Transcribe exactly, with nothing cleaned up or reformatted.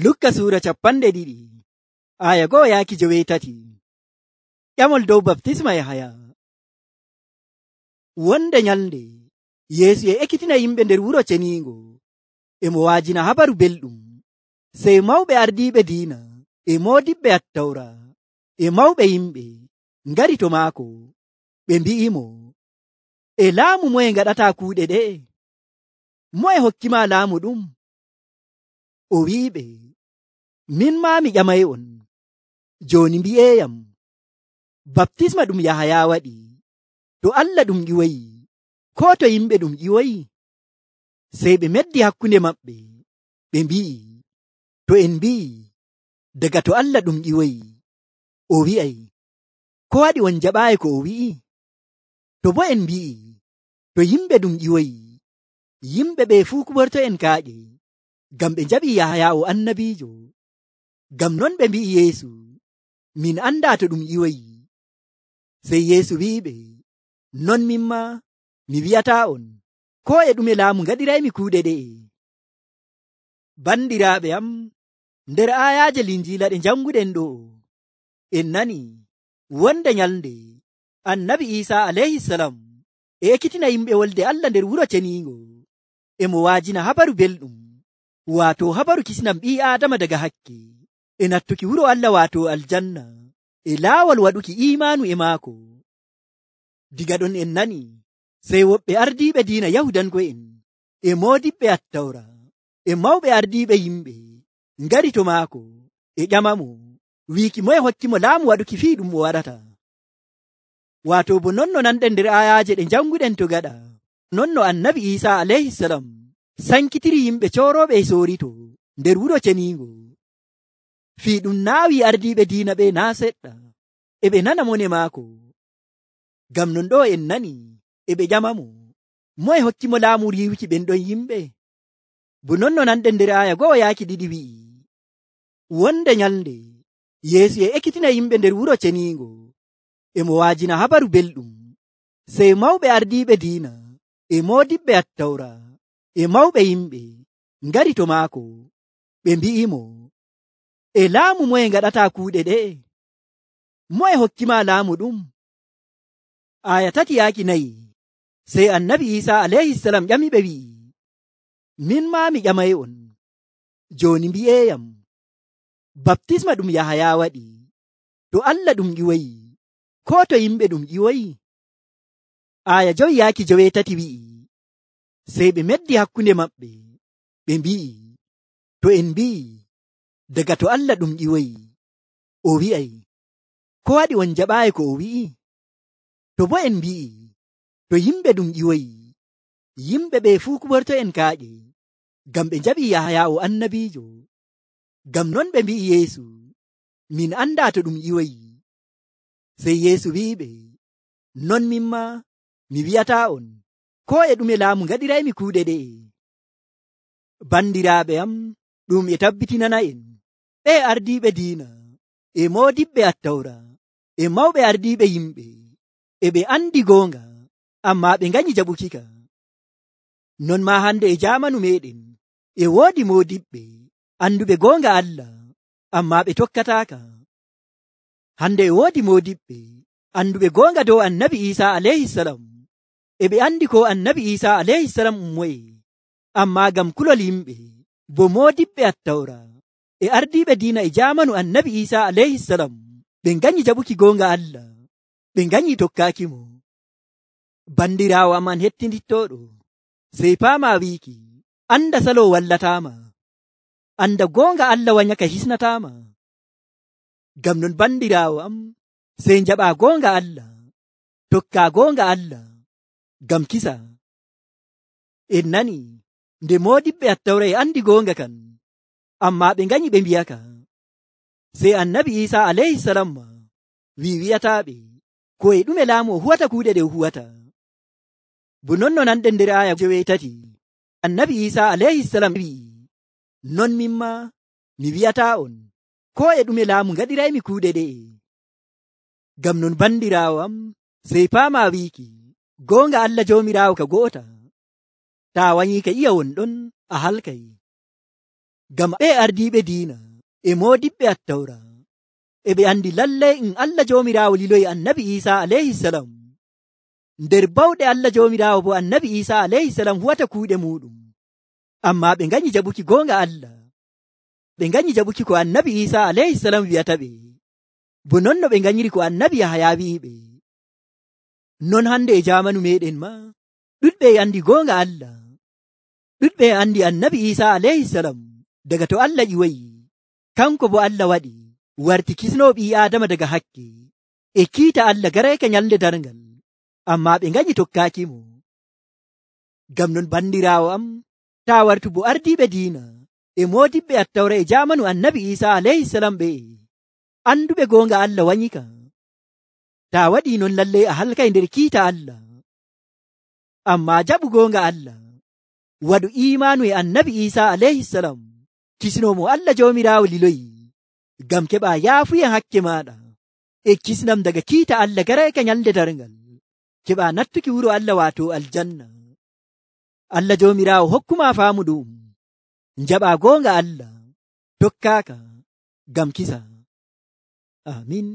Lukka suura capanɗe ɗiɗi aya go'o yaaki joweetati. Ƴamol dow baptisma Yahaya. Wonde nyalnde Yeesu e ekkitina yimɓe nder wuro ceniingo e mo waajina habaru belɗum. Sey mawɓe ardiiɓe diina e moodiɓɓe attawra e mawɓe yimɓe ngari to maako. Ɓe mbi'imo, e laamu moye ngaɗataa kuuɗe ɗe? Moye hokkima laamu ɗum? O wi'iɓe, min maa mi ƴamay'on. Jooni mbi'eeyam, baptisma ɗum Yahaya waɗi, to Allah ɗum ƴiwoyi, koo to yimɓe ɗum ƴiwoyi? Sey ɓe meddi hakkunde maɓɓe, ɓe mbi'i, to en mbi'i, daga to Allah ɗum ƴiwoyi, o wi'ay, ko waɗi on jaɓaayi ko o wi'i? To boo en mbi'i, to yimɓe ɗum ƴiwoyi, yimɓe ɓe fuu kuɓorto'en kaaƴe, ngam ɓe njaɓii Yahaya o annabiijo. Ngam non ɓe mbi'i Yeesu, min andaa to ɗum ƴiwoyi. Sey Yeesu wi'iɓe, non min maa mi wi'ataa'on, koo e ɗume laamu ngaɗiraymi kuuɗe ɗe'e. Bandiraaɓe am, nder aayaaje Linjiila ɗe njannguɗen ɗo, en nani wonde nyalnde annabi Iisaa alayhisalam e ekkitina yimɓe wolde Allah nder wuro ceniingo, e mo waajina habaru belɗum, waato habaru kisnam ɓii Aadama daga hakke, e nattuki wuro Allah waato aljanna, e laawol waɗuki iimaanu e maako. Diga ɗon en nani sey woɓɓe ardiiɓe diina Yahudanko'en e moodiɓɓe attawra e mawɓe ardiiɓe yimɓe ngari to maako e ƴamamo wiiki moye hokkimo laamu waɗuki fii ɗum o waɗata. Waato bo non no nanɗen nder ayaaje ɗe njannguɗen to gaɗa, non no annabi Iisaa alayhisalam sankitiri yimɓe coorooɓe e soorito nder wuro ceniingo. Fii ɗum naawi ardiiɓe diina ɓe naa seɗɗa, e ɓe nana mone maako. Ngam non ɗo en nani e ɓe ƴamamo, moye hokkimo laamu riiwuki ɓen ɗon yimɓe? Bo non no nanɗen nder aya go'o yaaki ɗiɗi wi'i, wonde nyalnde Yeesu e ekkitina yimɓe nder wuro ceniingo, e mo waajina habaru belɗum. Sey mawɓe ardiiɓe diina e moodiɓɓe attawra e mawɓe yimɓe ngari to maako, ɓe mbi'imo, e laamu moye ngaɗataa kuuɗe ɗe'e? Moye hokkima laamu ɗum? Aya tati yaaki nayi. Sey annabi Iisaa alayhisalam ƴamiɓe wi'i, min maa mi ƴamay'on. Jooni mbi'eeyam, baptisma ɗum Yahaya waɗi, to Allah ɗum ƴiwoyi, koo to yimɓe ɗum ƴiwoyi? Aya jowi yaaki joweetati wi'i, sey ɓe meddi hakkunde maɓɓe, ɓe mbi'i, to en mbi'i, daga to Allah ɗum ƴiwoyi, o wi'ay, ko waɗi on jaɓaayi ko o wi'i? To boo en mbi'i, to yimɓe ɗum ƴiwoyi, yimɓe ɓe fuu kuɓorto'en kaaƴe, ngam ɓe njaɓii Yahaya o annabiijo. Ngam non ɓe mbi'i Yeesu, min andaa to ɗum ƴiwoyi. Sey Yeesu wi'iɓe, non min maa mi wi'ataa'on, koo e ɗume laamu ngaɗiraymi kuuɗe ɗe'e. Bandiraaɓe am, ɗum e tabbitinana'en, ɓe ardiiɓe diina e moodiɓɓe attawra e mawɓe ardiiɓe yimɓe, e ɓe andi goonga, ammaa ɓe nganyi jaɓukika. Non maa hande e jaamanu meɗen e woodi moodiɓɓe anduɓe goonga Allah, ammaa ɓe tokkataaka. Hande e woodi moodiɓɓe anduɓe goonga dow annabi Iisaa alayhisalam, e ɓe andi ko annabi Iisaa alayhisalam ummoye, ammaa ngam kulol yimɓe bo moodiɓɓe attawra e ardiiɓe diina e jaamanu annabi Iisaa alayhisalam ɓe nganyi jaɓuki goonga Allah, ɓe nganyi tokkaakimo. Bandiraawo am an hettindittoɗo, sey paama wiiki, anda salo wallataama, anda goonga Allah wanyaka hisnataama. Ngam non bandiraawo am, sey njaɓaa goonga Allah, tokkaa goonga Allah, ngam kisa. En nani nde moodiɓɓe attawra e andi goonga kan, ammaa ɓe nganyi ɓe mbiyaka. Sey annabi Iisaa alayhisalam ma wi wi'ataaɓe, ko e ɗume laamu o huwata kuuɗe ɗe o huwata. Bo non no nanɗen nder aya joweetati, annabi Iisaa alayhisalam wi'i, non min maa mi wi'ataa'on, koo e ɗume laamu ngaɗiraymi kuuɗe ɗe'e. Ngam non bandiraawo am, sey paama wiiki, goonga Allah Joomiraawo ka go'ota. Taa wanyii ka iya won ɗon a halkay. Gam ɓe ardiɓe diina e modiɓɓe attawra e ɓe andi lallai in Allah jomirawo liloyi annabi Isa alayhi salam. Nder bawɗe Allah jomirawo bo annabi Isa alayhi salam huwata kuuɗe muɗum. Amma ɓe ganyi jaɓuki gonga Allah. Ɓe ganyi jaɓuki ko annabi Isa alayhi salam wi'ata ɓe. Bo non no ɓe ganyiri ko annabi Yahaya wi'iɓe. Non hande e jamanu meɗen ma ɗuɗɓe e andi gonga Allah. Ɗuɗɓe e andi annabi Isa alayhi salam daga to Allah ƴiwoyi. Kanko bo Allah waɗi warti kisno ɓi Adama daga hakke e kiita Allah garayka nyalde darngal. Amma ɓe ganyi tokkakimo. Gam non bandirawo am, ta wartu bo ardiɓe diina e modiɓɓe attawra e jamanu annabi Isa alayhi salam ɓe anduɓe gonga Allah wanyika. Ta waɗi non lallai a halkay nder kiita Allah. Amma jaɓu gonga Allah, waɗu imanu e annabi Isa alayhi salam, kisnomo Allah jomirawo liloyi, gam keɓa yaafuyen hakke maɗa e kisnam daga kiita Allah garayka nyalde darngal, keɓa nattuki wuro Allah wato aljanna. Allah jomirawo hokkuma faamu ɗum, njaɓa gonga Allah, tokkaka gam kisa. Amin.